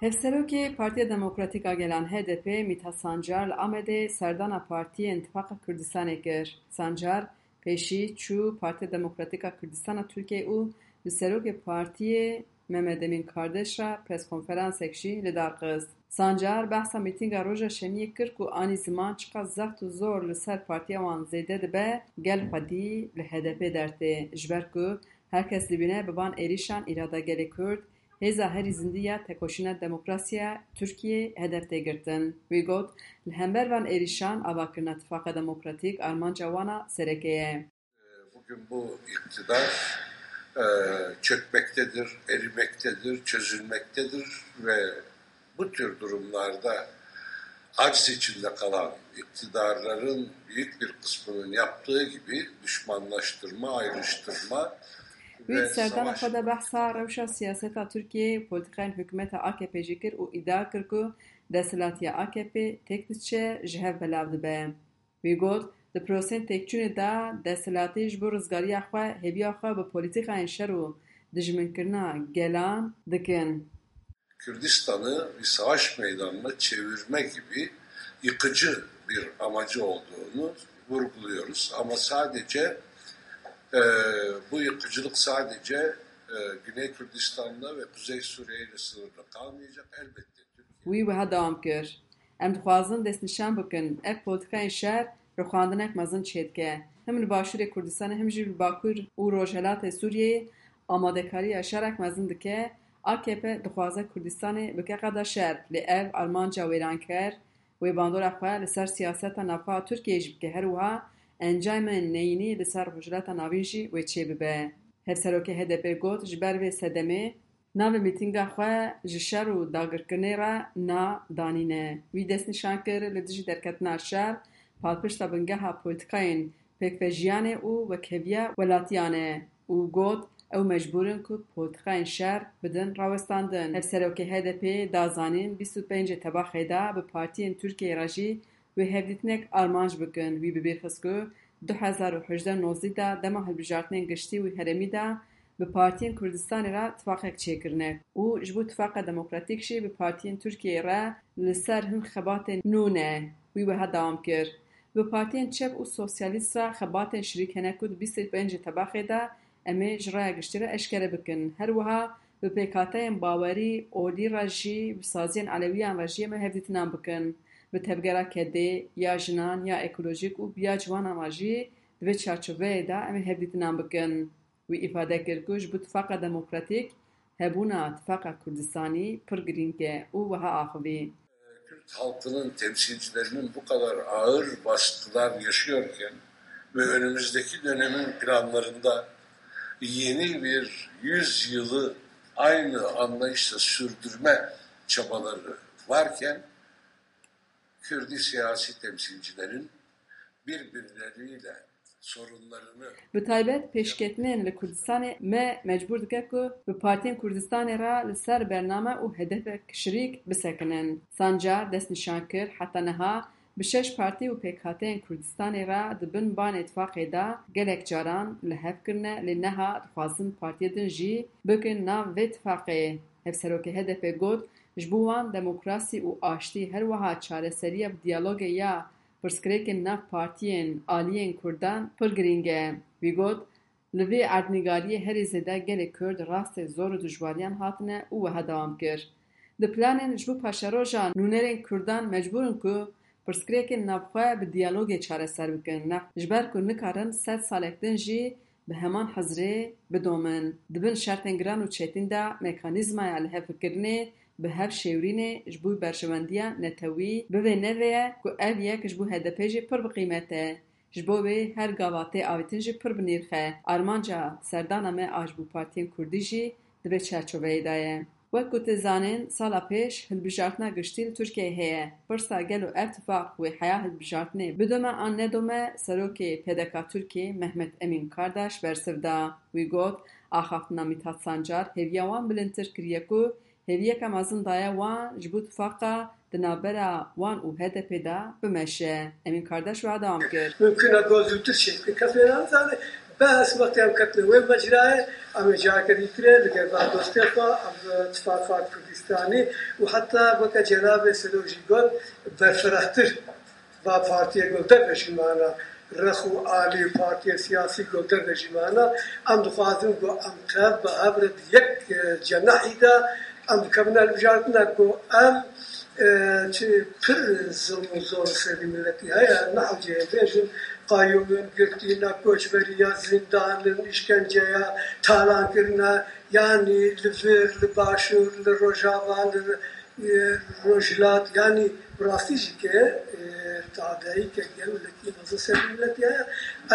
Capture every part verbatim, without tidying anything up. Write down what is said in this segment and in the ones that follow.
Hevserokê Partiya Demokratîk a Gelan H D P Mîthat Sancar li Amedê serdana partiyên Tifaqa Kurdistanê kir. Sancar pêşî çû Partiya Demokratîk a Kurdistan a Tirkiyeyê û li serokê partiyê Mehmet Emîn Kardeş re preskonferansek jî li dar xist. Sancar behsa mîtînga roja şemiyê kir ku anî ziman çiqas zext û zor li ser partiya wan zêde dibe, gel xwedî li H D P dertê. Ji ber ku her kes dibîne bi van êrîşan îrada gelê Kurd, hêza herî zindî ya tekoşîna demokrasî ya Tirkiyeyê hedef tê girtin. Wî got, li hember van êrîşan avakirina Tifaqa Demokratîk armanca wan a sereke ye. Bugün bu iktidar, e, çökmektedir, erimektedir, çözülmektedir ve bu tür durumlarda aciz içinde kalan iktidarların büyük bir kısmının yaptığı gibi düşmanlaştırma, ayrıştırma Wî ve serdana savaş xwe de behsa rewşa siyaseta Tirkiyeyê û polîtîkayên hikûmeta A K P jî kir û îdia kir ku desthilatiya A K P têk diçe, ji hev belav dibe. Wî got, di prosên têkçûnê de desthilatî ji bo rizgariya xwe hêviya xwe bi polîtîkayên şer û dijminkirina gelan dikin. Kürdistan'ı bir savaş meydanına çevirme gibi yıkıcı bir amacı olduğunu vurguluyoruz. Ama sadece, e, bu yıkıcılık sadece, e, Güney Kürdistan'la ve Kuzey Suriye ile sınırlı kalmayacak. Elbette Türkiye Wî wiha dewam kir, Em dixwazin destnîşan bikin, ev polîtîkayên şer rixwandinek mezin çêdike. Him li Başûrê Kurdistanê him jî li Bakur û Rojhelatê Sûriyeyê amadekariya şerek mezin dike. A K P dixwaze Kurdistanê bike qeda şer, lê ev armanca wêranker wê bandora xwe li ser siyaseta navxwe a Tirkiyeyê jî bike. Her wiha encamên neyînî li ser Rojhilata Navîn jî wê çêbibe. Hevserokê H D P got, ji ber vê sedemê, navê mîtînga xwe ji şer û dagirkirinê re na danîne. Wî destnîşan kir, li dijî derketina şer, palpişta bingeha polîtîkayên pêkvejiyanê û wekheviya welatiyan e û got, ew mecbûr in ku polîtîkayên şer bidin rawestandin. Hevserokê H D P da zanîn, bîst û pêncê Tebaxê de bi partiyên Tirkiyeyê re jî wê hevdîtinek armanc bikin. Wî bi bîr xist ku du hezar û hejdeh nozdî de dema hilbijartinên giştî û herêmî de bi partiyên Kurdistanê re tifaqek çêkirine û ji bo Tifaqa Demokratîk jî bi partiyên Tirkiyeyê re li ser hin xebatên nû ne. Wî wiha dewam kir, Bi partiyên çep û sosyalîst re xebatên şirîk hene ku di bîst û pêncê Tebaxê de em ê ji raya giştî re eşkere bikin. Her wiha bi pêkhateyên bawerî olî re jî, bi saziyên Elewiyan re jî em ê hevdîtinan bikin. Bi tevgera kedê, ya jinan, ya ekolojîk û bi ya ciwanan re jî di vê çarçoveyê de em ê hevdîtinan bikin. Wî îfade kir ku ji bo Tifaqa Demokratîk hebûna Tifaqa Kurdistanî pir girîng e û wiha axivî. Kürt halkının temsilcilerinin bu kadar ağır baskılar yaşıyorken ve önümüzdeki dönemin planlarında yeni bir yüz yılı aynı anlayışla sürdürme çabaları varken Kürdi siyasi temsilcilerin birbirleriyle sorunlarını Bi taybet pêşketinên li Kurdistanê me mecbûr dike ku bi partiyên Kurdistanê re li ser bername û hedefek şirîk bisekinin. Sancar destnîşan kir, heta niha bi şeş partî û pêkhateyên Kurdistanê re di bin banê tifaqê de gelek caran li hev kirine, lê niha dixwazin partiyê din jî bikin nav vê tifaqê. Hevserokê H D P got, Ji bo wan demokrasî û aştî, her wiha çareseriya bi diyalogê ya pirsgirêkên nav partiyên aliyên Kurdan pir girîng e. Wî got, Li vê erdnîgariyê herî zêde gelê Kurd rastê zor û dijwariyan hatine û wiha dewam kir, Di planên ji bo paşeroja nûnerên Kurdan mecbûr in ku pirsgirêkên navxwe bi diyalogê çareser bikin, ne ji ber ku nikarin sed salek din jî bi heman hizrê bidomin. Di bin şertên giran û çetin de mekanîzmaya lihevkirinê bi hev şêwirînê ji bo berjewendiya netewî bivê nevê ye ku ev yek ji bo H D P jî pir bi qîmet e. Ji bo wê her gava tê avêtin jî pir bi nîrx e. Armanca serdana me a ji bo partiyên kurdî jî di vê çarçoveyê de ye. Wek ku tê zanîn, sala pêş hilbijartina giştî li Tirkiyeyê heye. Pirsa gelo ev tifaq wê heya hilbijartinê bidome an nedome, serokê P D K Tirkiyê Mehmet Emîn Kardaş bersiv da. Wî got, Axaftina Mîthat Sancar hêviya wan bilindtir kiriye ku hêviyeke mezin daye wan ji bo tifaqa di navbera wan û H D P de bimeşe. Emîn Kardaş wiha dewam kir. Mümkün e ku zûtir şêt bikin. Kes wê nezane. Bes wextê em ketine wê mecrayê, em ê careke dîtir ê li gel van dostê xwe, em tifaqa Kurdî Kurdistanê û heta weke cenabê Selo jî got, berfirehtir va partiyê ku derdejî mana, rex û alî û partiyê siyasî ku derdejî mana, em dixwazin ku em tev bi hev re di yek, e, cenehî de em dikevine hilbijartina ku em, e, çi pir zilm û zor serî miletî heye, nehewce bêjin, qayûmin girtîne, koçberiya, zîndanin, îşkenceya, talankirine, yanî li vir, li başûr, li rojava, li, e, rojhilat, yanî bi rastî jî ke, e, tadeyî ke gelekî mezin serî miletî heye,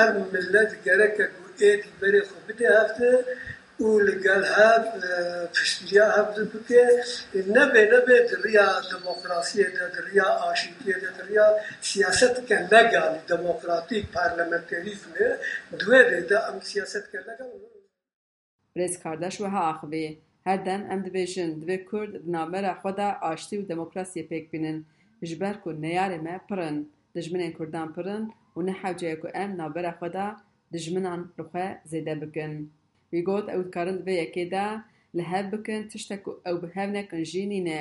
ev milet gereke ku êdî berê xwe bide hev de û li gel hev, e, piştgiriya hev de bike, nebe nebe di riya demokrasiyê de, di riya aşîtiyê de, di riya siyaseteke legalî, demokratîk, parlamenterîzmê, di wê rê de em siyaseteke legal. Birêz Kardaş wiha axivî, her dem em dibêjin, divê Kurd di navbera xwe de aştî û demokrasiyê pêk bînin, ji ber ku neyarê me pir in, dijminên Kurdan pir in û ne hewce ye ku em navbera xwe de dijminan li xwe zêde bikin. Wî got, ew dikarin di vê yekê de li hev bikin, tiştek ku ew bi hev nekin jî nîne.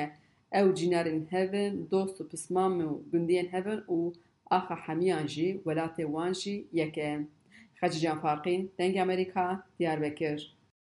Ew cînarên hev in, dost û pismam û gundiyên hev in û axa hemiyan jî, welatê wan jî yek e. Xecîcan Farqîn, Dengê Amerîka, Diyarbekir.